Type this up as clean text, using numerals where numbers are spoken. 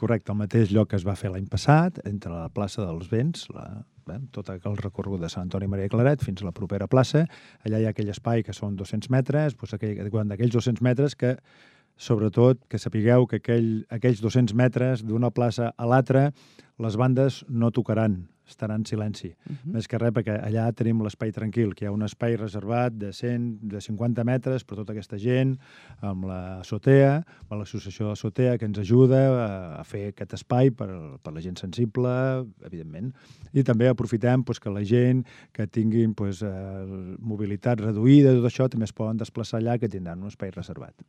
correcte, el mateix lloc que es va fer l'any passat, entre la plaça dels Vents, tot el recorregut de Sant Antoni Maria Claret fins a la propera plaça. Allà hi ha aquell espai que són 200 metres, doncs d'aquells 200 metres que, sobretot, que sapigueu que aquells 200 metres d'una plaça a l'altra, les bandes no tocaran, estaran en silenci. Més que res, perquè allà tenim l'espai tranquil, que hi ha un espai reservat de 50 metres per tota aquesta gent, amb l'Azotea, amb l'associació de l'Azotea, que ens ajuda a fer aquest espai per la gent sensible, evidentment. I també aprofitem que la gent que tinguin mobilitat reduïda, tot això, també es poden desplaçar allà, que tindran un espai reservat.